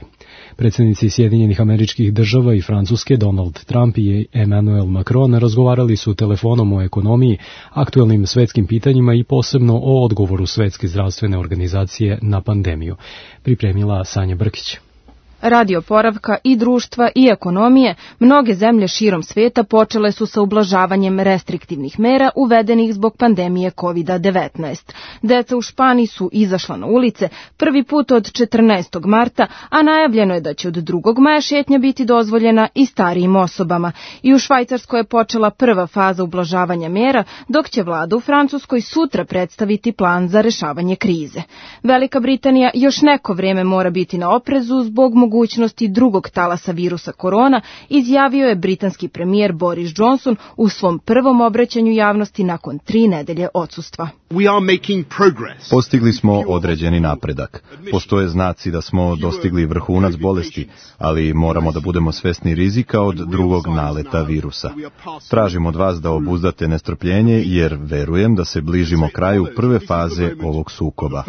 Predsjednici Sjedinjenih Američkih Država i Francuske Donald Trump i Emmanuel Macron razgovarali su telefonom o ekonomiji, aktuelnim svetskim pitanjima i posebno o odgovoru Svetske zdravstvene organizacije na pandemiju. Pripremila Sanja Brkić. Radi oporavka i društva i ekonomije, mnoge zemlje širom sveta počele su sa ublažavanjem restriktivnih mera uvedenih zbog pandemije kovid devetnaest. Deca u Španiji su izašla na ulice prvi put od četrnaestog marta, a najavljeno je da će od drugog maja šetnja biti dozvoljena i starijim osobama. I u Švajcarskoj je počela prva faza ublažavanja mera, dok će vlada u Francuskoj sutra predstaviti plan za rešavanje krize. Velika Britanija još neko vrijeme mora biti na oprezu zbog mogućnosti drugog talasa virusa korona, izjavio je britanski premijer Boris Johnson u svom prvom obraćanju javnosti nakon tri nedelje odsustva. Postigli smo određeni napredak. Postoje znaci da smo dostigli vrhunac bolesti, ali moramo da budemo svesni rizika od drugog naleta virusa. Tražim od vas da obuzdate nestrpljenje, jer verujem da se bližimo kraju prve faze ovog sukoba.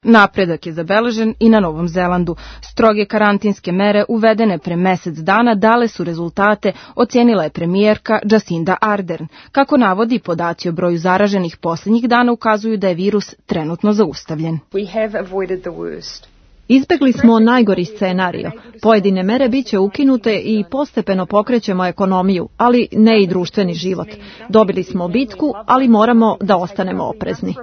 Napredak je zabeležen i na Novom Zelandu. Stroge karantinske mere uvedene pre mesec dana dale su rezultate, ocenila je premijerka Jacinda Ardern. Kako navodi, podaci o broju zaraženih posljednjih dana ukazuju da je virus trenutno zaustavljen. Izbegli smo najgori scenario. Pojedine mere biće ukinute i postepeno pokrećemo ekonomiju, ali ne i društveni život. Dobili smo bitku, ali moramo da ostanemo oprezni.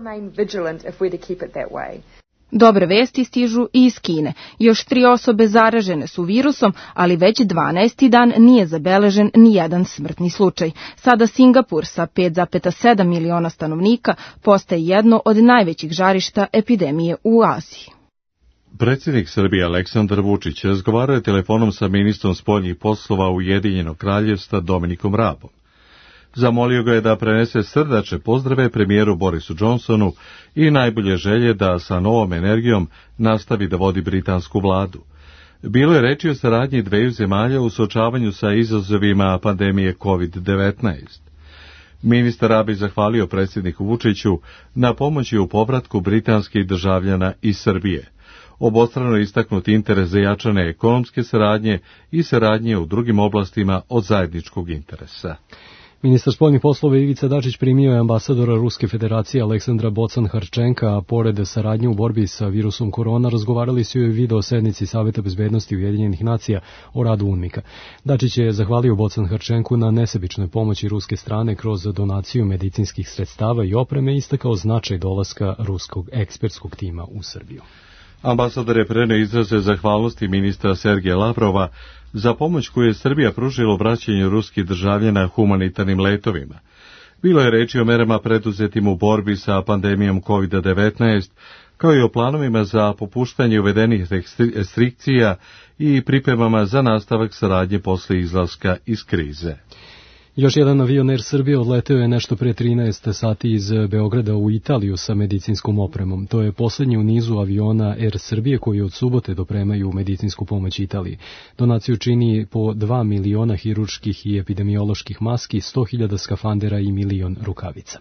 Dobre vesti stižu i iz Kine. Još tri osobe zaražene su virusom, ali već dvanaesti dan nije zabeležen ni jedan smrtni slučaj. Sada Singapur sa pet zarez sedam miliona stanovnika postaje jedno od najvećih žarišta epidemije u Aziji. Predsjednik Srbije Aleksandar Vučić razgovarao je telefonom sa ministrom spoljnih poslova Ujedinjenog Kraljevstva Dominikom Rabom. Zamolio ga je da prenese srdačne pozdrave premijeru Borisu Johnsonu i najbolje želje da sa novom energijom nastavi da vodi britansku vladu. Bilo je reči o saradnji dveju zemalja u suočavanju sa izazovima pandemije kovid devetnaest. Ministar Rabi zahvalio predsjedniku Vučiću na pomoći u povratku britanskih državljana iz Srbije. Obostrano istaknut interes za jačane ekonomske saradnje i saradnje u drugim oblastima od zajedničkog interesa. Ministar spoljnih poslova Ivica Dačić primio je ambasadora Ruske federacije Aleksandra Bocan-Harčenka, a pored saradnje u borbi sa virusom korona razgovarali su i o video sednici Saveta bezbednosti Ujedinjenih nacija o radu UNMIK-a. Dačić je zahvalio Bocan-Harčenku na nesebičnoj pomoći ruske strane kroz donaciju medicinskih sredstava i opreme i istakao značaj dolaska ruskog ekspertskog tima u Srbiju. Ambasador je preneo izraze zahvalnosti ministra Sergeja Lavrova za pomoć koju je Srbija pružila u vraćanju ruskih državljana humanitarnim letovima. Bilo je reči o merama preduzetim u borbi sa pandemijom kovid devetnaest, kao i o planovima za popuštanje uvedenih restrikcija i pripremama za nastavak saradnje posle izlaska iz krize. Još jedan avion Air Srbije odleteo je nešto pre trinaest sati iz Beograda u Italiju sa medicinskom opremom. To je posljednji u nizu aviona Air Srbije koji od subote dopremaju medicinsku pomoć Italiji. Donaciju čini po dva miliona hirurških i epidemioloških maski, sto hiljada skafandera i milion rukavica.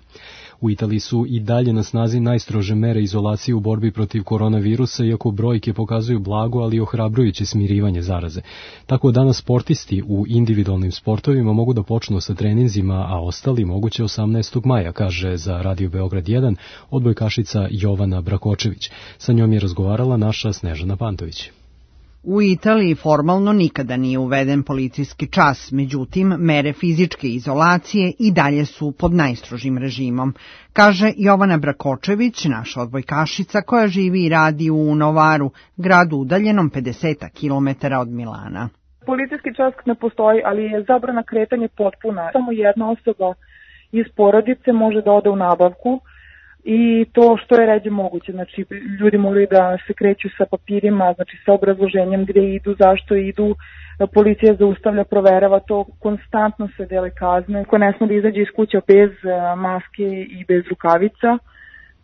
U Italiji su i dalje na snazi najstrože mere izolacije u borbi protiv koronavirusa, iako brojke pokazuju blago, ali ohrabrujuće smirivanje zaraze. Tako danas sportisti u individualnim sportovima mogu da počnu sa treninzima, a ostali moguće osamnaestog maja, kaže za Radio Beograd jedan odbojkašica Jovana Brakočević. Sa njom je razgovarala naša Snežana Pantović. U Italiji formalno nikada nije uveden policijski čas, međutim, mere fizičke izolacije i dalje su pod najstrožim režimom, kaže Jovana Brakočević, naša odbojkašica koja živi i radi u Novaru, gradu udaljenom pedeset kilometara od Milana. Policijski čas ne postoji, ali je zabrana kretanja potpuna. Samo jedna osoba iz porodice može da ode u nabavku i to što je ređe moguće. Znači, ljudi moraju da se kreću sa papirima, znači sa obrazloženjem gde idu, zašto idu, policija zaustavlja, proverava to, konstantno se dele kazne. Ko ne sme da izađe iz kuće bez maske i bez rukavica,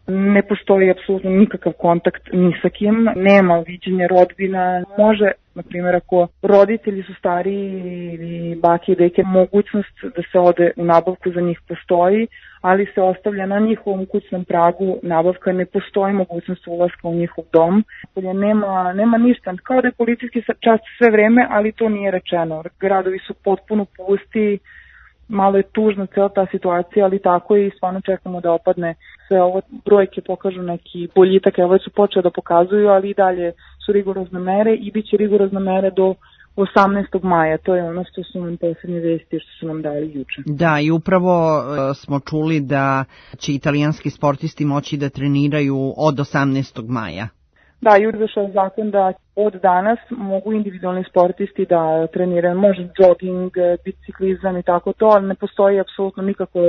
ne postoji apsolutno nikakav kontakt ni sa kim, nema viđenja rodbina. Može, na primjer, ako roditelji su stariji ili bake i deke, mogućnost da se ode u nabavku za njih postoji, ali se ostavlja na njihovom kućnom pragu nabavka, ne postoji mogućnost ulaska u njihov dom. Nema, nema ništa, kao da je policijski čas sve vreme, ali to nije rečeno. Gradovi su potpuno pusti, malo je tužna cela ta situacija, ali tako i stvarno čekamo da opadne. Sve ovo brojke pokažu neki boljitak, evo su počeli da pokazuju, ali i dalje su rigorozne mere i bit će rigorozne mere do osamnaestog maja. To je ono što su nam poslednje vesti što su nam dali juče. Da, i upravo uh, smo čuli da će italijanski sportisti moći da treniraju od osamnaestog maja. Da, juče došao zakon da od danas mogu individualni sportisti da treniraju, može jogging, biciklizam i tako to, ali ne postoji apsolutno nikakav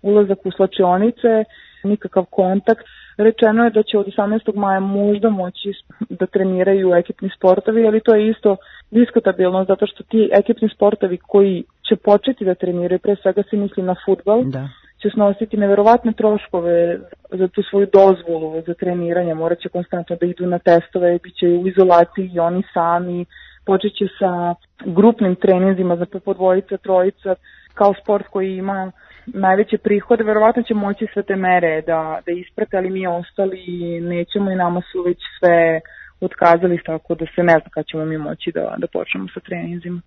ulazak u slačionice, nikakav kontakt. Rečeno je da će od osamnaestog maja možda moći da treniraju ekipni sportovi, ali to je isto diskutabilno, zato što ti ekipni sportovi koji će početi da treniraju, pre svega se misli na fudbal, da. će snositi neverovatne troškove za tu svoju dozvolu za treniranje, morat će konstantno da idu na testove, bit će u izolaciji i oni sami, počet će sa grupnim treninzima za po dvojica, trojica, kao sport koji ima najveće prihode, verovatno će moći sve te mere da, da isprate, ali mi ostali nećemo i nama su već sve otkazali, tako da se ne zna kad ćemo mi moći da, da počnemo sa treninzima.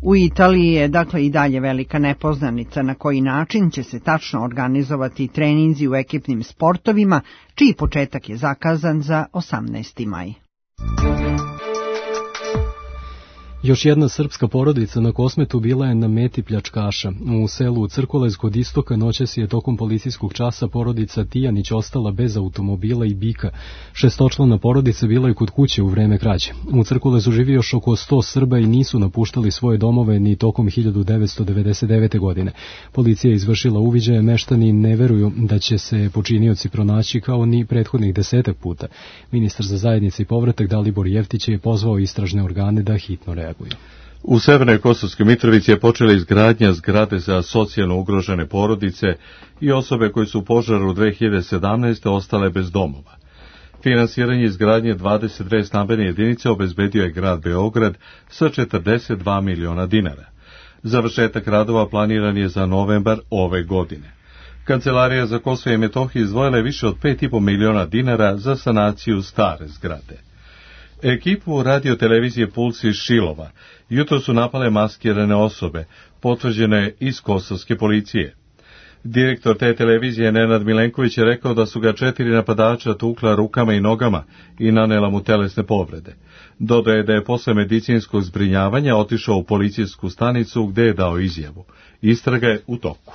U Italiji je dakle i dalje velika nepoznanica na koji način će se tačno organizovati treninzi u ekipnim sportovima, čiji početak je zakazan za osamnaesti maj. Još jedna srpska porodica na Kosmetu bila je na meti pljačkaša. U selu Crkolez kod istoka noćas je tokom policijskog časa porodica Tijanić ostala bez automobila i bika. Šestočlana porodica bila je kod kuće u vreme krađe. U Crkolezu živi još oko sto Srba i nisu napuštali svoje domove ni tokom hiljadu devetsto devedeset devete. godine. Policija je izvršila uviđaje, meštani ne veruju da će se počinioci pronaći kao ni prethodnih desetak puta. Ministar za zajednice i povratak Dalibor Jeftić je pozvao istražne organe da hitno reaguju. U Severnoj Kosovskoj Mitrovici je počela izgradnja zgrade za socijalno ugrožene porodice i osobe koje su u požaru dve hiljade sedamnaeste. ostale bez domova. Finansiranje izgradnje dvadeset dve stambene jedinice obezbedio je grad Beograd sa četrdeset dva miliona dinara. Završetak radova planiran je za novembar ove godine. Kancelarija za Kosovo i Metohiju izdvojila je više od pet i po miliona dinara za sanaciju stare zgrade. Ekipu radiotelevizije Puls iz Šilova jutro su napale maskirane osobe, potvrđene iz kosovske policije. Direktor te televizije Nenad Milenković je rekao da su ga četiri napadača tukla rukama i nogama i nanela mu telesne povrede. Dodaje da je posle medicinskog zbrinjavanja otišao u policijsku stanicu gde je dao izjavu. Istraga je u toku.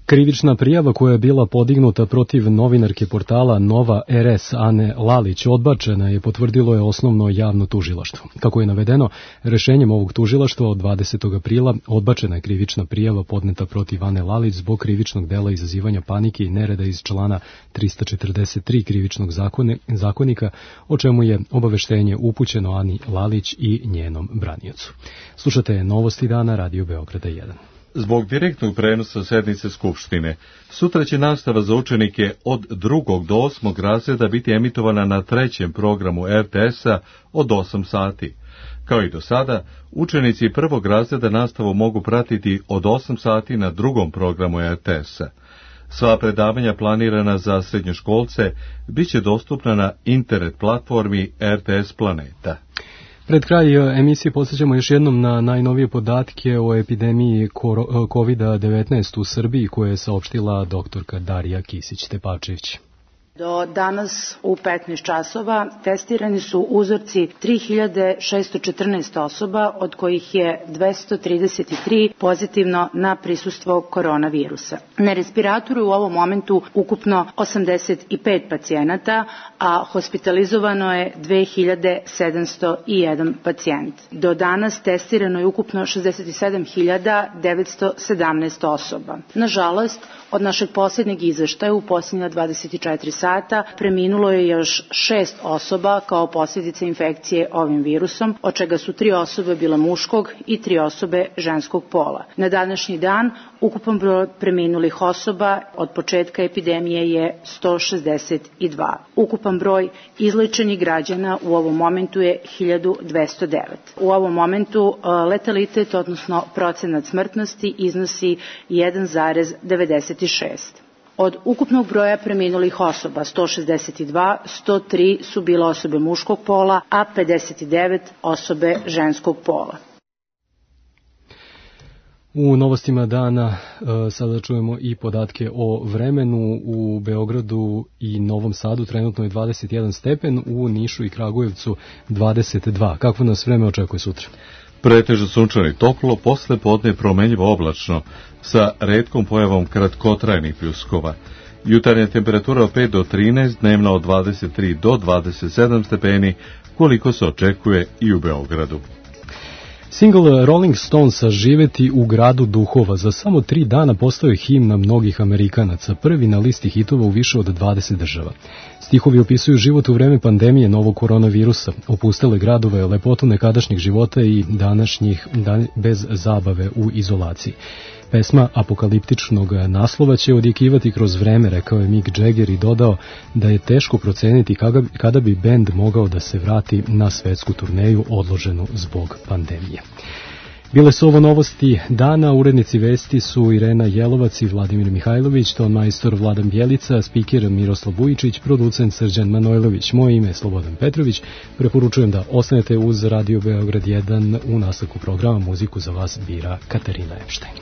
Krivična prijava koja je bila podignuta protiv novinarke portala Nova R S Ane Lalić odbačena je, potvrdilo je osnovno javno tužilaštvo. Kako je navedeno, rešenjem ovog tužilaštva od dvadesetog aprila odbačena je krivična prijava podneta protiv Ane Lalić zbog krivičnog dela izazivanja panike i nereda iz člana trista četrdeset tri krivičnog zakone, zakonika, o čemu je obaveštenje upućeno Ani Lalić i njenom braniocu. Slušate Novosti dana, Radio Beograda jedan. Zbog direktnog prenosa sednice Skupštine, sutra će nastava za učenike od drugog do osmog razreda biti emitovana na trećem programu R T S-a od osam sati. Kao i do sada, učenici prvog razreda nastavu mogu pratiti od osam sati na drugom programu R T S-a. Sva predavanja planirana za srednjoškolce bit će dostupna na internet platformi R T S Planeta. Pred kraj emisije podsjećamo još jednom na najnovije podatke o epidemiji kovid devetnaest u Srbiji koje je saopštila doktorka Darija Kisić-Tepačević. Do danas u petnaest časova testirani su uzorci tri hiljade šesto četrnaest osoba, od kojih je dvesta trideset tri pozitivno na prisustvo koronavirusa. Na respiratoru u ovom momentu ukupno osamdeset pet pacijenata, a hospitalizovano je dve hiljade sedamsto jedan pacijent. Do danas testirano je ukupno šezdeset sedam hiljada devetsto sedamnaest osoba. Nažalost, od našeg posljednjeg izveštaja u posljednja dvadeset četiri sata preminulo je još šest osoba kao posljedica infekcije ovim virusom, od čega su tri osobe bile muškog i tri osobe ženskog pola. Na današnji dan ukupan broj preminulih osoba od početka epidemije je sto šezdeset dva. Ukupan broj izlečenih građana u ovom momentu je hiljadu dvesta devet. U ovom momentu letalitet, odnosno procenat smrtnosti, iznosi jedan zarez devedeset šest. Od ukupnog broja preminulih osoba, sto šezdeset dva, sto tri su bile osobe muškog pola, a pedeset devet osobe ženskog pola. U novostima dana e, sada čujemo i podatke o vremenu. U Beogradu i Novom Sadu trenutno je dvadeset jedan stepen, u Nišu i Kragujevcu dvadeset dva. Kako nas vreme očekuje sutra? Pretežno sunčano i toplo, posle podne promenljivo oblačno, sa retkom pojavom kratkotrajnih pljuskova. Jutarnja temperatura od pet do trinaest, dnevna od dvadeset tri do dvadeset sedam stepeni, koliko se očekuje i u Beogradu. Single Rolling Stonesa "Živeti u gradu duhova" za samo tri dana postao je himna mnogih Amerikanaca, prvi na listi hitova u više od dvadeset država. Stihovi opisuju život u vreme pandemije novog koronavirusa, opustele gradove, lepotu nekadašnjih života i današnjih dan bez zabave u izolaciji. Pesma apokaliptičnog naslova će odjekivati kroz vreme, rekao je Mick Jagger i dodao da je teško proceniti kada bi bend mogao da se vrati na svetsku turneju odloženu zbog pandemije. Bile su ovo novosti dana, urednici vesti su Irena Jelovac i Vladimir Mihajlović, ton majstor Vladan Bjelica, spiker Miroslav Vujičić, producent Srđan Manojlović. Moje ime je Slobodan Petrović, preporučujem da ostanete uz Radio Beograd jedan, u nastavku programa muziku za vas bira Katarina Epštajn.